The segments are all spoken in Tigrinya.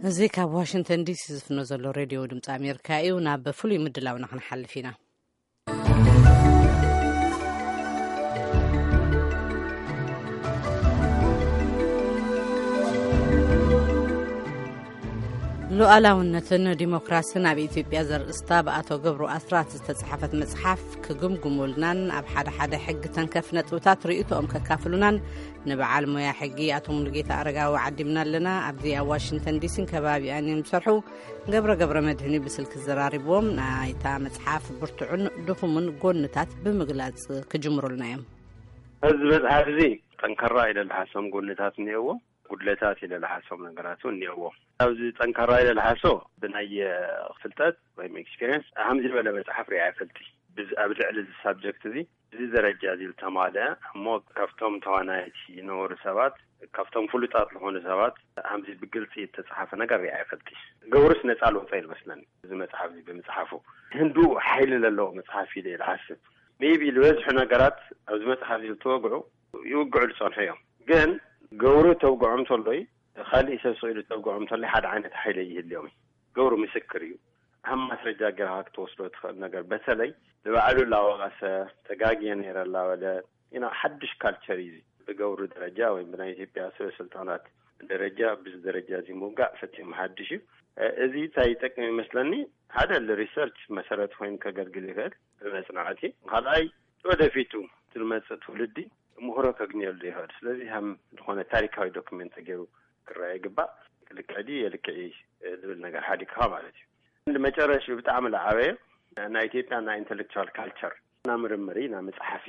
እዚ ካብ ዋሽንግተን ዲሲ ዝፍኖ ዘሎ ሬድዮ ድምፂ ኣሜሪካ እዩ። ናብ ፍሉይ ምድላውና ክንሓልፍ ኢና። ሉዓላውነትን ዲሞክራስን ኣብ ኢትዮጵያ ዘርእስታ ብኣቶ ገብሩ ኣስራት ዝተጻሓፈት መጽሓፍ ክግምግሙልናን ኣብ ሓደ ሓደ ሕጊ ተንከፍ ነጥብታት ርእይቶኦም ከካፍሉናን ንበዓል ሞያ ሕጊ ኣቶ ሙሉጌታ ኣረጋዊ ዓዲምና ኣለና። ኣብዚ ኣብ ዋሽንግተን ዲሲን ከባቢኣን እዮም ዝሰርሑ። ገብረ ገብረ መድህን እዩ ብስልኪ ዘራሪብዎም። ናይታ መጽሓፍ ብርቱዕን ድኹምን ጎንታት ብምግላጽ ክጅምሩልና እዮም። እዚ መጽሓፍ እዚ ጠንካራ ኢለ ዝሓሶም ጎንታት እኒአዎ፣ ጉድለታት ኢለ ዝሓሶም ነገራት እውን እኒአዎ። ኣብዚ ጠንካራ ኢለ ዝሓሶ ብናይ ፍልጠት ወይም ኤክስፒሪየንስ ሃምዚ ዝበለ መጽሓፍ ሪኣ ይፈልጥ። ብዚ ኣብ ልዕሊ እዚ ሳብጀክት እዚ እዚ ደረጃ እዚ ዝተማልአ እሞ ካብቶም ተዋናይቲ ዝነበሩ ሰባት ካብቶም ፍሉጣት ዝኾኑ ሰባት ሃምዚ ብግልፂ እተፃሓፈ ነገር ሪኣ ይፈልጥ። ገብሩስ ነፃ ልወፀ ይመስለኒ እዚ መፅሓፍ እዚ ብምፅሓፉ። ህንዱ ሓይሊ ዘለዎ መፅሓፍ ኢለ ይሓስብ። ሜቢ ዝበዝሑ ነገራት ኣብዚ መፅሓፍ እዚ ዝተወግዑ ይውግዑ ዝፀንሑ እዮም። ግን ገብሩ ተውግዖም ተሎይ፣ ካሊእ ሰብ ስኢሉ ተውግዖም ተሎይ ሓደ ዓይነት ሓይሊ ይህልዮም እዩ። ገብሩ ምስክር እዩ። ከም ማስረጃ ገይርካ ክትወስዶ ትኽእል ነገር፣ በተለይ ንባዕሉ ላወቀሰ፣ ተጋግየ ነይረ ላበለ፣ ኢና ሓድሽ ካልቸር እዩ። ብገብሩ ደረጃ ወይም ብናይ ኢትዮጵያ ሰበ ስልጣናት ደረጃ ብዚ ደረጃ እዚ ምውጋእ ፈጺሙ ሓድሽ እዩ። እዚ እንታይ ይጠቅም ይመስለኒ? ሓደ ሪሰርች መሰረት ኮይኑ ከገልግል ይኽእል ብመጽናዕቲ። ካልኣይ ወደፊቱ ዝመጽእ ትውልዲ ምህሮ ከግንየሉ ይኽእል። ስለዚ ከም ዝኾነ ታሪካዊ ዶክመንት ተገይሩ ክረኣ ይግባእ። ልክዕ ድዩ የልክዕ ዝብል ነገር ሓዲግካ ማለት እዩ። መጨረሽ ብጣዕሚ ዝዓበየ ናይ ኢትዮጵያ ናይ ኢንተሌክቹዋል ካልቸር፣ ናይ ምርምሪ ናይ መፅሓፊ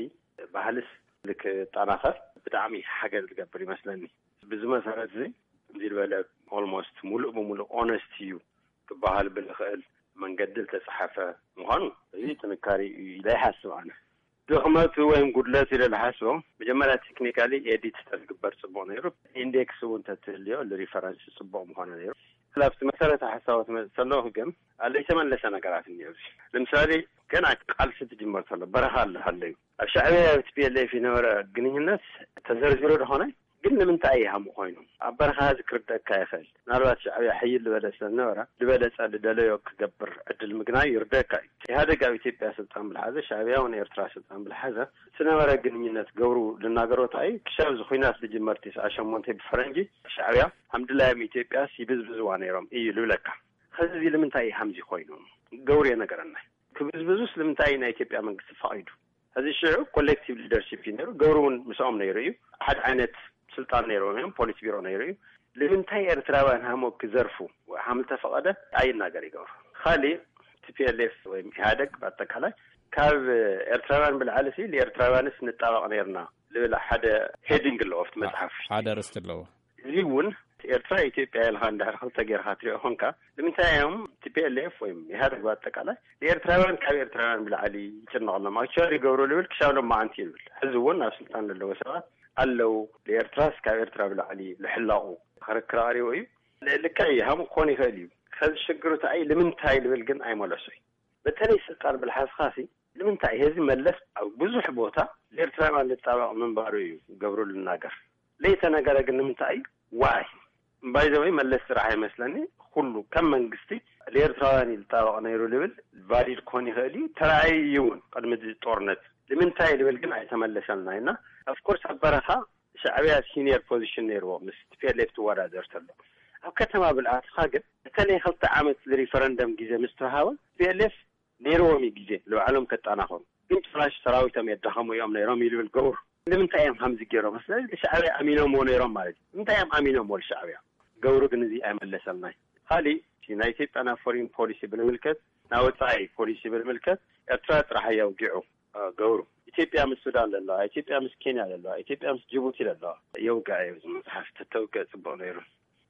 ባህልስ ልክጠናኸር ብጣዕሚ ሓገዝ ዝገብር ይመስለኒ። ብዚ መሰረት እዚ ከምዚ ዝበለ ኦልሞስት ሙሉእ ብሙሉእ ኦነስት እዩ ክበሃል ብልኽእል መንገዲ ዝተፅሓፈ ምዃኑ እዚ ጥንካሬ እዩ ኢለ ይሓስብ ኣነ። ድኽመቱ ወይም ጉድለቱ ኢለ ዝሓስቦ መጀመርያ ቴክኒካሊ ኤዲት ተዝግበር ፅቡቕ ነይሩ። ኢንዴክስ እውን ተትህልዮ ንሪፈረንስ ፅቡቕ ምኾነ ነይሩ። ኣብቲ መሰረተ ሓሳብ ትመፅእ ከለኹ ግን ኣለይተመለሰ ነገራት እኒኦ። እዚ ንምሳሌ ገና ቃልሲ ትጅመር ተሎ በረኻ ኣለሃለዩ ኣብ ሻዕብያ ቲፒኤልኤፍ ይነበረ ግንኙነት ተዘርዚሩ ደኾነ ግን ንምንታይ ይሃሙ ኮይኑ ኣብ በረኻ እዚ ክርደካ ይኽእል። ምናልባት ሻዕብያ ሕይል ዝበለ ስለዝነበረ ዝበለፀ ዝደለዮ ክገብር ዕድል ምግናይ ይርደካ እዩ። ኢህኣደግ ኣብ ኢትዮጵያ ስልጣን ብልሓዘ ሻዕብያ እውን ኤርትራ ስልጣን ብልሓዘ ዝነበረ ግንኙነት ገብሩ ልናገሮት ኣይ ክሻብ እዚ ኩናት ዝጅመር ቲስዓ ሸሞንተ ብፈረንጂ ሻዕብያ ሃምድላዮም ኢትዮጵያ ይብዝብዝዋ ነይሮም እዩ ልብለካ። ኸዚ እዚ ልምንታይ እዩ ሃምዚ ኮይኑ ገብሩ የነገረና። ክብዝብዙስ ልምንታይ ናይ ኢትዮጵያ መንግስቲ ፈቒዱ? ሕዚ ሽዑ ኮሌክቲቭ ሊደርሺፕ እዩ ነይሩ። ገብሩ እውን ምስኦም ነይሩ እዩ። ሓደ ዓይነት ስልጣን ነይርዎም እዮም። ፖሊስ ቢሮ ነይሩ እዩ። ንምንታይ ኤርትራውያን ሃሞ ክዘርፉ ሃም ተፈቐደ ኣይናገር ይገብሩ። ካሊእ ቲፒኤልኤፍ ወይም ኢህኣደግ ብኣጠቃላይ ካብ ኤርትራውያን ብልዓሊ ሲ ንኤርትራውያንስ ንጣበቕ ነይርና ልብል ሓደ ሄዲንግ ኣለዎ ኣብቲ መፅሓፍ። ሓደ ርስቲ ኣለዎ። እዚ እውን ኤርትራ ኢትዮጵያ ኢልካ እንድሕር ክልተ ጌርካ ትሪኦ ኮንካ ንምንታይ እዮም ቲፒኤልኤፍ ወይም ኢህኣደግ ብኣጠቃላይ ንኤርትራውያን ካብ ኤርትራውያን ብላዕሊ ይጭነቐሎም ኣክቹዋሊ ይገብሩ ልብል ክሻብ ሎም መዓንቲ ይብል። ሕዚ እውን ኣብ ስልጣን ዘለዉ ሰባት ኣለዉ። ንኤርትራስ ካብ ኤርትራ ብላዕሊ ልሕለቑ ክርክር ኣቕሪቡ እዩ። ልክዕ እዩ ሃም ክኾን ይኽእል እዩ። ከዚ ሽግሩ እንታይ ልምንታይ ልብል ግን ኣይመለሶ እዩ። በተለይ ስልጣን ብልሓዝካ ሲ ንምንታይ ህዚ መለስ ኣብ ብዙሕ ቦታ ንኤርትራውያን ዝጣበቕ ምንባሩ እዩ ገብሩ ልናገር። ለይተነገረ ግን ንምንታይ ዋይ ባይዘወይ መለስ ስራሕ ይመስለኒ። ኩሉ ከም መንግስቲ ንኤርትራውያን እዩ ዝጣበቕ ነይሩ ልብል ቫሊድ ክኾን ይኽእል እዩ። ተራእዩ እዩ እውን ቅድሚ እዚ ጦርነት ንምንታይ ልብል ግን ኣይተመለሰልና ኢና። ኦፍኮርስ ኣብ በረኻ ሻዕብያ ሲኒየር ፖዚሽን ነይርዎ ምስ ቲፒኤልኤፍ ትወዳደር ተሎ። ኣብ ከተማ ብልኣትኻ ግን በተለይ ክልተ ዓመት ዝሪፈረንደም ግዜ ምስ ተዋሃቦ ቲፒኤልኤፍ ነይርዎም እዩ ግዜ ንባዕሎም ከጣናኸሩ። ግን ጭራሽ ሰራዊቶም የዳኸሙ እዮም ነይሮም እዩ ዝብል ገብሩ። ንምንታይ እዮም ከምዚ ገይሮም? ስለዚ ሻዕብያ ኣሚኖምዎ ነይሮም ማለት እዩ። ንምንታይ እዮም ኣሚኖምዎ ሻዕብያ? ገብሩ ግን እዚ ኣይመለሰልናይ። ካሊእ እቲ ናይ ኢትዮጵያ ናብ ፎሪን ፖሊሲ ብምልከት፣ ናብ ወፃኢ ፖሊሲ ብምልከት ኤርትራ ጥራሕ እያ ውጊዑ ገብሩ። ኢትዮጵያ ምስ ሱዳን ዘለዋ፣ ኢትዮጵያ ምስ ኬንያ ዘለዋ፣ ኢትዮጵያ ምስ ጅቡቲ ዘለዋ የውግዐ እዩ። እዚ መፅሓፍ ተተውግዕ ፅቡቅ ነይሩ።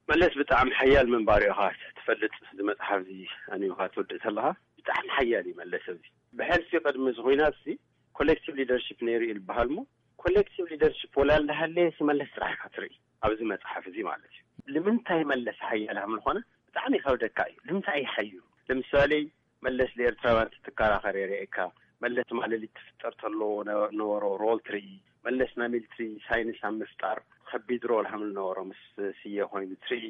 መለስ ብጣዕሚ ሓያል ምንባሩ ኢኻ ትፈልጥ። እዚ መፅሓፍ እዚ ኣንቢብካ ትወድእ ተለኻ ብጣዕሚ ሓያል እዩ መለስ። ኣብዚ ብሕልፊ ቅድሚ እዚ ኩናት እዚ ኮሌክቲቭ ሊደርሺፕ ነይሩ እዩ ዝበሃል እሞ ኮሌክቲቭ ሊደርሺፕ ወላ እንዳሃለየ ሲ መለስ ጥራሕ ኢኻ ትርኢ ኣብዚ መፅሓፍ እዚ ማለት እዩ። ንምንታይ መለስ ሓያል ከም ዝኾነ ብጣዕሚ ይኸብደካ እዩ። ንምንታይ እዩ ሓይሉ? ለምሳሌ መለስ ንኤርትራውያን ትትከራኸር የርእየካ። መለስ ማለሊት ትፍጠር ተሎ ነበሮ ሮል ትርኢ። መለስ ናይ ሚሊትሪ ሳይንስ ኣብ ምፍጣር ከቢድ ሮል ሃምል ነበሮ ምስ ስየ ኮይኑ ትርኢ።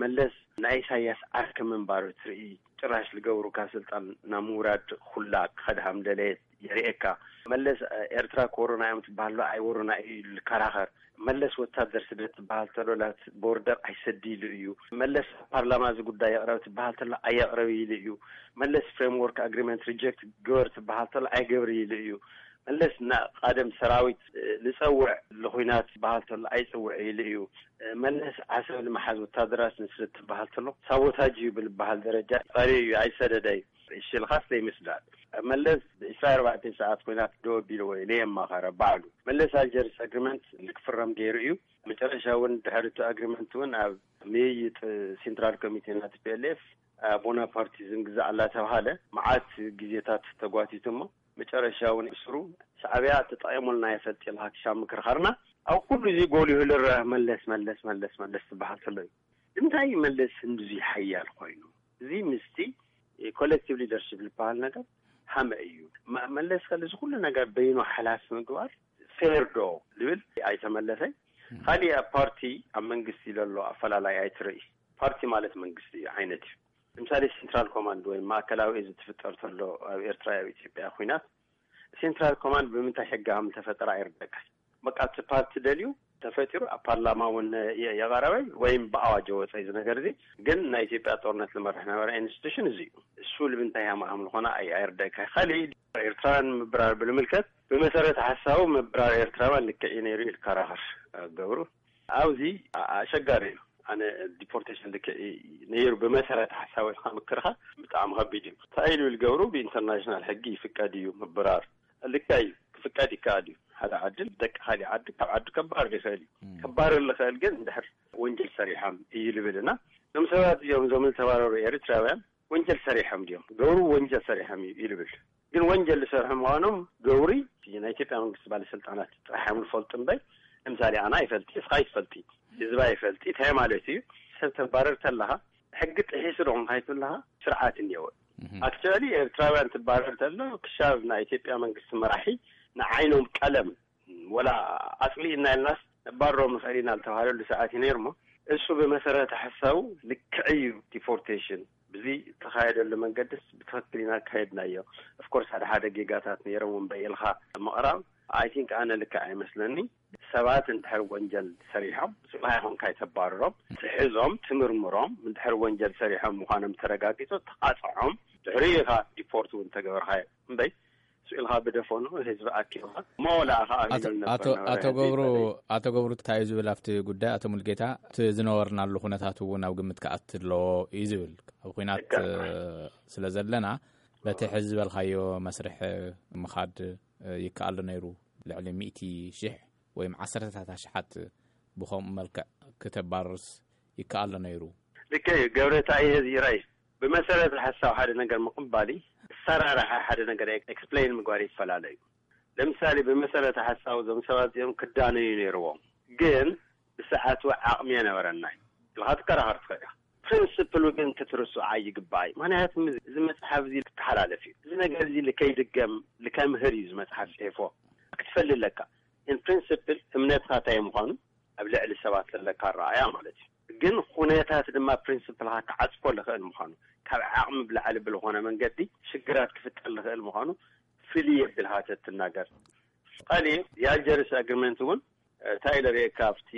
መለስ ናይ ኢሳያስ ዓርኪ ምንባሩ ትርኢ። ጭራሽ ዝገብሩ ካብ ስልጣን ናብ ምውራድ ኩላ ክኸድ ሃምደለየት የርእየካ። መለስ ኤርትራ ክወሩና እዮም ትበሃሎ ኣይወሩና እዩ ልከራኸር። መለስ ወታደር ስደት ትበሃል ተሎ ላት ቦርደር ኣይሰዲ ኢሉ እዩ። መለስ ፓርላማ እዚ ጉዳይ የቕረብ ትበሃል ተሎ ኣየቕረብ ኢሉ እዩ። መለስ ፍሬምወርክ ኣግሪመንት ሪጀክት ግበር ትበሃል ተሎ ኣይገብር ኢሉ እዩ። መለስ ና ቃደም ሰራዊት ልጸውዕ ልኹናት ትበሃል ተሎ ኣይጽውዕ ኢሉ እዩ። መለስ ዓሰብ ልመሓዝ ወታደራት ንስርት ትበሃል ተሎ ሳቦታጅ እዩ ብልበሃል ደረጃ ጸሪ እዩ ኣይሰደደ እዩ። እሽልኻስ ዘይምስዳድ መለስ ብዒስራ ኣርባዕተ ሰዓት ኮይናት ደወ ቢልዎ ለየማኸረ ባዕሉ። መለስ ኣልጀርስ ኣግሪመንት ልክፍረም ገይሩ እዩ። መጨረሻ እውን ድሕሪ እቲ ኣግሪመንት እውን ኣብ ምይይጥ ሴንትራል ኮሚቴ ናት ፒኤልኤፍ ቦናፓርቲዝም ግዛዕ እናተባሃለ መዓት ግዜታት ተጓቲቱ እሞ መጨረሻ እውን ስሩ ሻዕብያ ተጠቂሙልና የፈልጥ ኢልካ ክሻብ ምክርኻርና ኣብ ኩሉ እዚ ጎሊሁ ልረአ መለስ መለስ መለስ መለስ ትበሃል ተሎ እዩ። እንታይ መለስ ህንዱዚ ሓያል ኮይኑ እዚ ምስቲ ኮሌክቲቭ ሊደርሽፕ ዝበሃል ነገር ሃመ እዩ። መለስ ከል እዚ ኩሉ ነገር በይኑ ሓላፊ ምግባር ፌር ዶ ልብል ኣይተመለሰይ። ካሊእ ኣብ ፓርቲ ኣብ መንግስቲ ዘሎ ኣፈላላይ ኣይትርኢ። ፓርቲ ማለት መንግስቲ እዩ ዓይነት እዩ። ለምሳሌ ሴንትራል ኮማንድ ወይ ማእከላዊ እዚ ትፍጠር ተሎ ኣብ ኤርትራ ኣብ ኢትዮጵያ ኩናት ሴንትራል ኮማንድ ብምንታይ ሕጊ ከም ተፈጠረ ኣይርደካ። በቃ እቲ ፓርቲ ደልዩ ተፈጢሩ ኣብ ፓርላማ እውን የቐረበ ወይም ብኣዋጅ ወፀ እዚ ነገር እዚ። ግን ናይ ኢትዮጵያ ጦርነት ዝመርሕ ነበረ ኢንስቲቱሽን እዚ እዩ። እሱ ልምንታይ ሃማሃም ዝኾነ ኣይርደካ። ካሊእ ኤርትራውያን ምብራር ብልምልከት ብመሰረት ሓሳቡ ምብራር ኤርትራውያን ልክዕ እዩ ነይሩ ኢልካ ራኸር ገብሩ ኣብዚ ኣሸጋሪ እዩ። ኣነ ዲፖርቴሽን ልክዕ ነይሩ ብመሰረት ሓሳብ ኢልካ ምክርኻ ብጣዕሚ ከቢድ እዩ። እንታይ ኢሉ ዝገብሩ ብኢንተርናሽናል ሕጊ ይፍቀድ እዩ ምብራር። ልክዕ እዩ፣ ክፍቀድ ይከኣል እዩ። ሓደ ዓዲ ደቂ ካሊእ ዓዲ ካብ ዓዲ ከባረር ይኽእል እዩ። ከባረር ዝኽእል ግን እንድሕር ወንጀል ሰሪሖም እዩ ልብል እና እዞም ሰባት እዚኦም እዞም ዝተባረሩ ኤርትራውያን ወንጀል ሰሪሖም ድዮም? ገብሩ ወንጀል ሰሪሖም እዩ ይልብል። ግን ወንጀል ዝሰርሑ ምዃኖም ገብሪ ናይ ኢትዮጵያ መንግስቲ ባለስልጣናት ጥራሕ እዮም ዝፈልጡ እምበር ለምሳሌ ኣና ይፈልጢ እስኻ ይትፈልጢ ህዝባ ይፈልጢ እንታይ ማለት እዩ? ሰብ ተባረር ተለኻ ሕጊ ጥሒሱ ዶ ኮንካ ይትብለኻ ስርዓት እኒአወ። ኣክቸዋሊ ኤርትራውያን ትባረር ተሎ ክሻብ ናይ ኢትዮጵያ መንግስቲ መራሒ ንዓይኖም ቀለም ወላ ኣጽሊእና ኢልናስ ነባርሮም ንኽእል ኢና ዝተባሃለሉ ሰዓት እዩ ነይሩ እሞ እሱ ብመሰረተ ሓሳቡ ልክዕ እዩ። ዲፖርቴሽን ብዚ ተኻየደሉ መንገድስ ብትኽክል ኢና ኣካየድናዮ። ኦፍኮርስ ሓደ ሓደ ጌጋታት ነይሮም እምበይ ኢልካ ምቕራብ ኣይ ቲንክ ኣነ ልክዕ ኣይመስለኒ። ሰባት እንድሕር ወንጀል ሰሪሖም ስብሃ ይኹን ካይተባርሮም ትሕዞም ትምርምሮም እንድሕር ወንጀል ሰሪሖም ምዃኖም ተረጋጊጹ ተቓጽዖም ድሕሪ ኢኻ ዲፖርት እውን ተገበርካዮ እምበይ ስኢልካ ብደፈኑ ህዝቢ ኣኪብካ ሞላ ከኣ ኣቶ ገብሩ ኣቶ ገብሩ እንታይ እዩ ዝብል ኣብቲ ጉዳይ ኣቶ ሙልጌታ እቲ ዝነበርናሉ ኩነታት እውን ኣብ ግምት ክኣቲ ኣለዎ እዩ ዝብል ኣብ ኩናት ስለ ዘለና በቲ ሕዚ ዝበልካዮ መስርሕ ምኻድ ይከኣል ነይሩ ልዕሊ ሚእቲ ሽሕ ወይም ዓሰርተታት ኣሽሓት ብኸምኡ መልክዕ ክተባርርስ ይከኣል ነይሩ። ልክዕ እዩ ገብረ። እንታይ እዩ እዚ ራይ ብመሰረት ሓሳብ ሓደ ነገር ምቕባል ኣሰራርሓ ሓደ ነገር ኤክስፕሌን ምግባር ይፈላለ እዩ። ለምሳሌ ብመሰረት ሓሳብ እዞም ሰባት እዚኦም ክዳነዩ ነይርዎም ግን ብሰዓቱ ዓቕሚ የነበረና ኢልካ ትከራኸር ትኽእል ኢኻ። ፕሪንስፕሉ ግን ክትርስዖ ኣይግባእ እዩ። ምክንያቱ እዚ መፅሓፍ እዚ ክተሓላለፍ እዩ። እዚ ነገር እዚ ልከይድገም ልከምህር እዩ እዚ መፅሓፍ ፅሒፎ ክትፈልጥ ኣለካ። ን ፕሪንስፕል እምነትካ እንታይ ምዃኑ ኣብ ልዕሊ ሰባት ዘለካ ኣረኣያ ማለት እዩ። ግን ኩነታት ድማ ፕሪንስፕልካ ክዓፅፎ ዝኽእል ምዃኑ ካብ ዓቕሚ ብላዕሊ ብዝኾነ መንገዲ ሽግራት ክፍጠር ዝኽእል ምዃኑ ፍልይ የብል ሃተት ትናገር። ካሊእ የኣልጀርስ ኣግሪመንት እውን እንታይ ኢለ ርእየካ ኣብቲ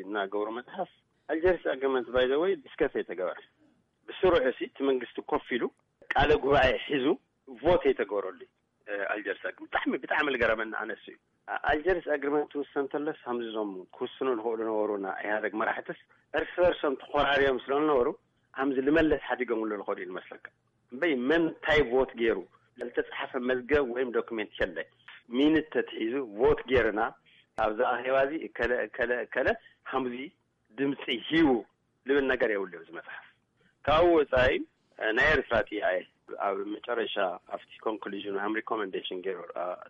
እናገብሮ መፅሓፍ ኣልጀርስ ኣግሪመንት ባይ ዘ ወይ ዲስከስ ኣይተገበረ ብስሩዕ ሲ እቲ መንግስቲ ኮፍ ኢሉ ቃለ ጉባኤ ሒዙ ቮት ኣይተገበረሉ። ኣልጀርስ ኣግሪመንት ብጣዕሚ ብጣዕሚ ልገረመኒ ኣነሱ እዩ። ኣልጀርስ ኣግሪመንት ትውሰን ተለስ ከምዚ ዞም ክውስኑ ዝኽእሉ ነበሩና ኢህኣደግ መራሕትስ እርስ በርሶም ተኾራርዮም ስለ ዝነበሩ ከምዚ ልመለስ ሓዲጎምሉ ዝኸዱ እዩ ዝመስለካ። እምበይ መን እንታይ ቮት ገይሩ ለልተፃሓፈ መዝገብ ወይም ዶክሜንት የለ። ሚኒት ተትሒዙ ቮት ገይርና ኣብዚ ኣኼባ እዚ እከለ እከለ እከለ ከምዚ ድምፂ ሂቡ ልብል ነገር የብሉ እዚ መፅሓፍ። ካብኡ ወፃኢ ናይ ኤርትራ ጥያቄ ኣብ መጨረሻ ኣብቲ ኮንክሉዥን ሃም ሪኮመንዴሽን ገይሩ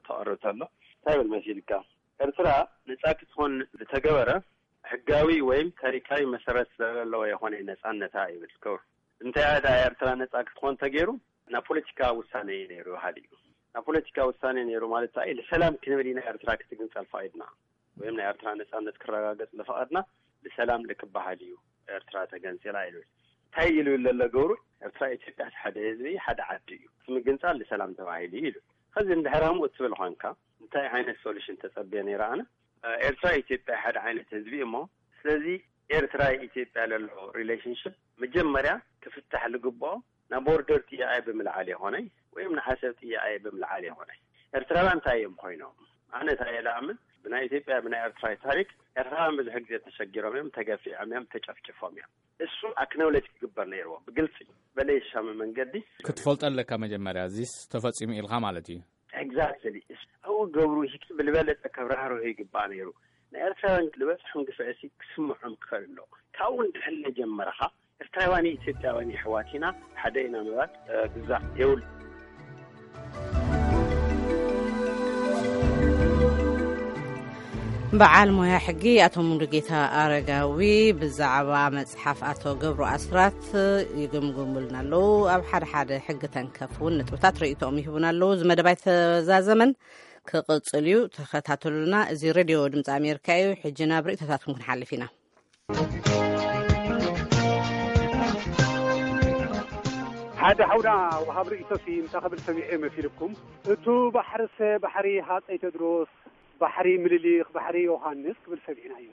ተቐርብ ተሎ እንታይ ብል መሲልካ? ኤርትራ ነፃ ክትኾን ዝተገበረ ሕጋዊ ወይም ታሪካዊ መሰረት ስለዘለዎ የኾነ ነፃነታ ይብል ክብር። እንተያ ዳ ኤርትራ ነፃ ክትኾን ተገይሩ ናብ ፖለቲካ ውሳነ እዩ ነይሩ ይበሃል እዩ። ናብ ፖለቲካ ውሳኔ ነይሩ ማለት እዩ። ንሰላም ክንብል ኢና ኤርትራ ክትግንጸል ፈቒድና፣ ወይም ናይ ኤርትራ ነጻነት ክረጋገጽ ዝፈቐድና ንሰላም ልክበሃል እዩ። ኤርትራ ተገንጺላ ኢሉ። እንታይ ኢሉ ዘሎ ገብሩ? ኤርትራ ኢትዮጵያ ሓደ ህዝቢ፣ ሓደ ዓዲ እዩ። እቲ ምግንጻል ንሰላም ተባሂሉ እዩ ኢሉ። ከዚ እንድሕር ከምኡ እትብል ኾንካ፣ እንታይ ዓይነት ሶሉሽን ተጸብየ ነይረ ኣነ? ኤርትራ ኢትዮጵያ ሓደ ዓይነት ህዝቢ እሞ፣ ስለዚ ኤርትራ ኢትዮጵያ ለሎ ሪሌሽንሽፕ መጀመርያ ክፍታሕ ልግብኦ ናብ ቦርደር ጥያቄ ብምልዓል ይኾነይ ወይም ንዓሰብ ጥያቄ ብምልዓል ይኾነይ። ኤርትራውያን እንታይ እዮም ኮይኖም? ኣነ እንታይ እየ ልኣምን? ብናይ ኢትዮጵያ፣ ብናይ ኤርትራ ታሪክ ኤርትራውያን ብዙሕ ግዜ ተሸጊሮም እዮም፣ ተገፊዖም እዮም፣ ተጨፍጭፎም እዮም። እሱ ኣክኖውለጅ ክግበር ነይርዎ ብግልፂ በለየሻሚ መንገዲ። ክትፈልጦ ኣለካ መጀመርያ፣ እዚስ ተፈጺሙ ኢልካ ማለት እዩ። ኤግዛክትሊ። ኣብኡ ገብሩ ሂክ ብልበለጠ ከብራህርሆ ይግባእ ነይሩ። ንኤርትራውያን ዝበፅሖም ግፍዕሲ ክስምዖም ክኽእል ኣለዎ። ካብኡ እንድሕር ጀመርኻ፣ ኤርትራውያን ኢትዮጵያውያን የሕዋት ኢና፣ ሓደ ኢና ምባል ግዛዕ የብሉ። በዓል ሞያ ሕጊ ኣቶ ሙሉጌታ ኣረጋዊ ብዛዕባ መጽሓፍ ኣቶ ገብሩ ኣስራት ይግምግሙልና ኣለዉ። ኣብ ሓደ ሓደ ሕጊ ተንከፍ እውን ንጥብታት ርእይቶኦም ይህቡና ኣለዉ። እዚ መደብ ኣይተዛዘመን፣ ክቕጽል እዩ። ተኸታተሉና። እዚ ሬድዮ ድምፂ ኣሜሪካ እዩ። ሕጂ ናብ ርእይቶታትኩም ክንሓልፍ ኢና። ሓደ ሓውና ወሃብ ርእይቶሲ እንታይ ክብል ሰሚዐ መሲልኩም? እቱ ባሕርሰ ባሕሪ ሃፀይ ቴድሮስ፣ ባሕሪ ምልሊኽ፣ ባሕሪ ዮሃንስ ክብል ሰሚዕናዮ።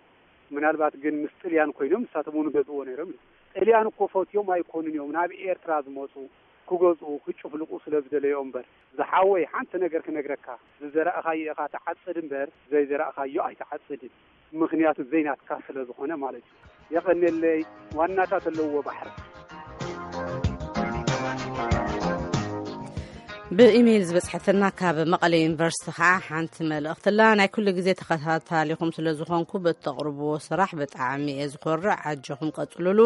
ምናልባት ግን ምስ ጥልያን ኮይኖም ንሳቶም እውን ገዝእዎ ነይሮም እዩ። ጥልያን እኮ ፈትዮም ኣይኮኑን እዮም ናብ ኤርትራ ዝመፁ፣ ክገዝኡ ክጭፍልቁ ስለ ዝደለዮ እምበር። ዝሓወይ ሓንቲ ነገር ክነግረካ፣ ዝዘራእኻዮ ኢኻ ትዓፅድ እምበር ዘይዘራእኻዮ ኣይትዓፅድን። ምኽንያቱ ዘይናትካ ስለ ዝኾነ ማለት እዩ። የቐንየለይ። ዋናታት ኣለዎ ባሕሪ። ብኢሜይል ዝበጽሐትና ካብ መቐለ ዩኒቨርሲቲ ኸዓ ሓንቲ መልእኽቲ ኣላ። ናይ ኩሉ ግዜ ተኸታታሊኹም ስለ ዝኾንኩ በቲ ተቕርብዎ ስራሕ ብጣዕሚ እየ ዝኾርዕ። ኣጆኹም ቀጽሉሉ፣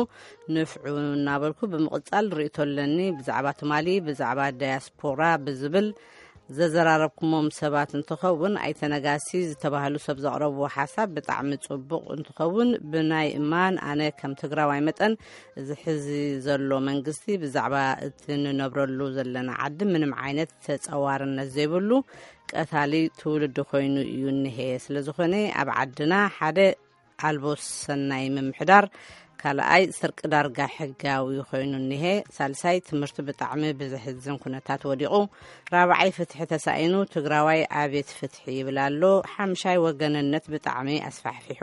ንፍዑ እናበልኩ ብምቕጻል ርእይቶ ኣለኒ ብዛዕባ ትማሊ ብዛዕባ ዳያስፖራ ብዝብል ዘዘራረብኩሞም ሰባት እንትኸውን፣ ኣይተ ነጋሲ ዝተባህሉ ሰብ ዘቕረብዎ ሓሳብ ብጣዕሚ ጽቡቕ እንትኸውን፣ ብናይ እማን ኣነ ከም ትግራዋይ መጠን እዚ ሕዚ ዘሎ መንግስቲ ብዛዕባ እቲ ንነብረሉ ዘለና ዓዲ ምንም ዓይነት ተጸዋርነት ዘይብሉ ቀታሊ ትውልዲ ኮይኑ እዩ እኒሄ። ስለ ዝኾነ ኣብ ዓድና ሓደ ኣልቦ ሰናይ ምምሕዳር፣ ካልኣይ ስርቂ ዳርጋ ሕጋዊ ኮይኑ እኒሄ፣ ሳልሳይ ትምህርቲ ብጣዕሚ ብዘሕዝን ኩነታት ወዲቑ፣ ራብዓይ ፍትሒ ተሳኢኑ፣ ትግራዋይ ኣቤት ፍትሒ ይብል ኣሎ፣ ሓምሻይ ወገንነት ብጣዕሚ ኣስፋሕፊሑ፣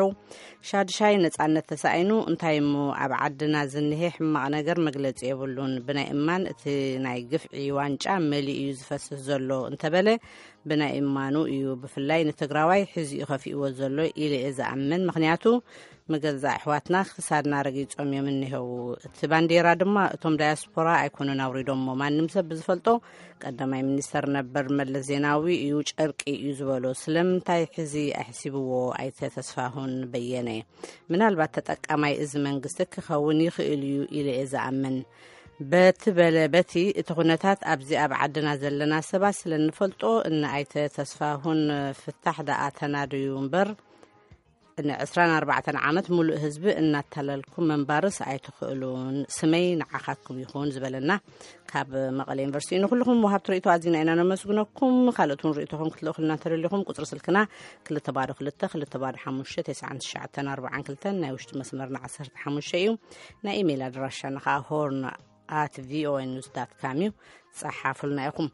ሻድሻይ ነጻነት ተሳኢኑ። እንታይ እሞ ኣብ ዓድና ዝኒሄ ሕማቕ ነገር መግለጺ የብሉን። ብናይ እማን እቲ ናይ ግፍዒ ዋንጫ መሊኡ እዩ ዝፈስስ ዘሎ እንተበለ ብናይ እማኑ እዩ። ብፍላይ ንትግራዋይ ሕዚ እዩ ከፊእዎ ዘሎ ኢለ እየ ዝኣምን። ምኽንያቱ ምገዛእ ኣሕዋትና ክሳድና ረጊጾም እዮም እኒሄው። እቲ ባንዴራ ድማ እቶም ዳያስፖራ ኣይኮኑን ኣውሪዶሞ። ማንም ሰብ ብዝፈልጦ ቀዳማይ ሚኒስተር ነበር መለስ ዜናዊ እዩ ጨርቂ እዩ ዝበሎ። ስለምንታይ ሕዚ ኣሕሲብዎ ኣይተ ተስፋሁን በየነ? ምናልባት ተጠቃማይ እዚ መንግስቲ ክኸውን ይኽእል እዩ ኢለ እየ ዝኣምን። በቲ በለ በቲ እቲ ኩነታት ኣብዚ ኣብ ዓድና ዘለና ሰባት ስለ እንፈልጦ እነ ኣይተ ተስፋሁን ፍታሕ ደኣ ተናድዩ እምበር ንዕስራን ኣርባዕተን ዓመት ሙሉእ ህዝቢ እናታለልኩም ምንባርስ ኣይትኽእሉን። ስመይ ንዓኻትኩም ይኹን ዝበለና ካብ መቐለ ዩኒቨርሲቲ እዩ። ንኩልኹም ወሃብቲ ርእይቶ ኣዚና ኢና ነመስግነኩም። ካልኦት እውን ርእይቶኹም ክትልእኹልና እንተደሊኹም ቁፅሪ ስልክና ክልተ ባዶ ክልተ ክልተ ባዶ ሓሙሽተ ተስዓን ትሽዓተን ኣርባዓን ክልተን፣ ናይ ውሽጢ መስመርና ዓሰርተ ሓሙሽተ እዩ። ናይ ኢሜይል ኣድራሻና ከዓ ሆርን ኣት ቪኦኤ ኒውስ ዳት ካም እዩ። ጸሓፉልና ኢኹም።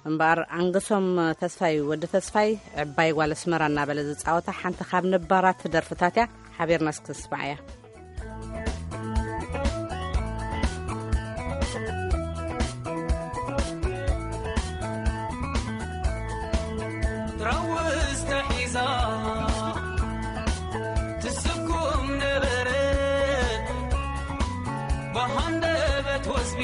እምበኣር ኣንገሶም ተስፋይ፣ ወዲ ተስፋይ፣ ዕባይ ጓል ኣስመራ እናበለ ዝጻወታ ሓንቲ ካብ ነባራት ደርፍታት እያ። ሓቢርና እስኪ ንስምዓያ። ትረውስ ተሒዛ ትስኩም ነበረት ብሃንደበት ወዝቢ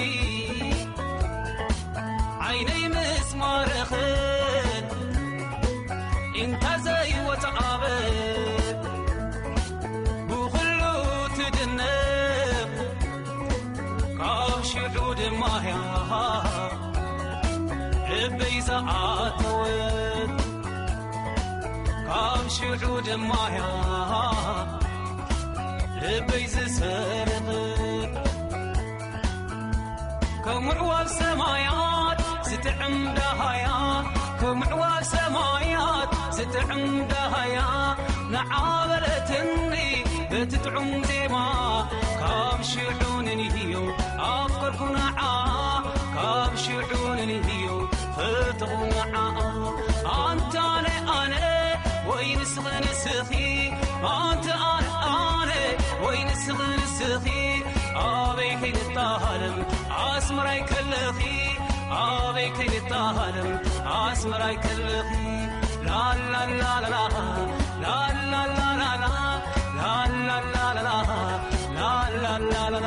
ዓይነይ ምስ ማረኽን እንታ ዘይወጽኣበት ብኹሉ ትድነቕ ካብ ሽዑ ድማ እያ ልበይ ዝኣተወት ካብ ሽዑ ድማ እያ ልበይ ዝሰርቕ ከም ውዕዋብ ሰማያት ዝጥዕም ዳሃያ ምዕዋብ ሰማያት ዝጥዕም ዳሃያ ንዓበለትኒ በቲ ጥዑም ዜማ ካብ ሽዑ ንንህዮ ኣፍቀርኩ ንዓ ካብ ሽዑ ንንህዮ ፈተኹ ንዓ ኣንታነ ኣነ ወይ ንስኺ ንስኺ ኣንተ ኣነ ኣነ ወይ ንስኺ ንስኺ ኣበይ ከይንታሃለም ኣስመራይ ከለኺ ኣበይ ከይንታሃለም ኣስመራይ ከለኺ ላላላላላ ላላላላላ ላላላላላ ላላላላላ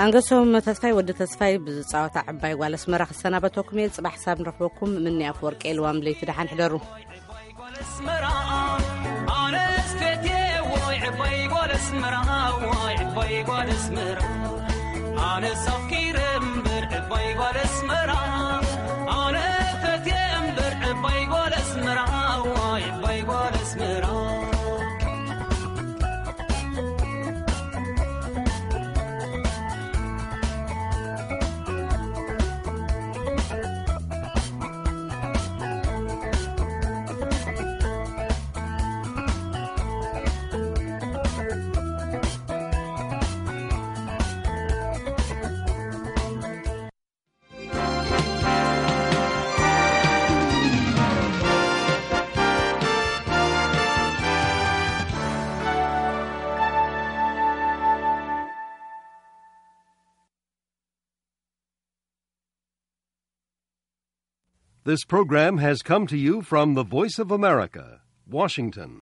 ኣንገሶም ተስፋይ ወዲ ተስፋይ ብዝፃወታ ዕባይ ጓል ኣስመራ ክሰናበተኩም እየ። ፅባሕ ሳብ ንረኽበኩም። ምኒ ኣፍወርቂ ልዋም ለይቲ ደሓን ሕደሩ። ኣነስ ፈትየ ወይ ዕባይ ጓል ኣስመራ ወይ ዕባይ ጓል ኣስመራ ኣነስ ኣፍቂረ እምበር ዕባይ ጓል ኣስመራ ኣነ ፈትየ እምበር ዕባይ ጓል ኣስመራ ወይ ዕባይ ጓል ኣስመራ This program has come to you from the Voice of America, Washington.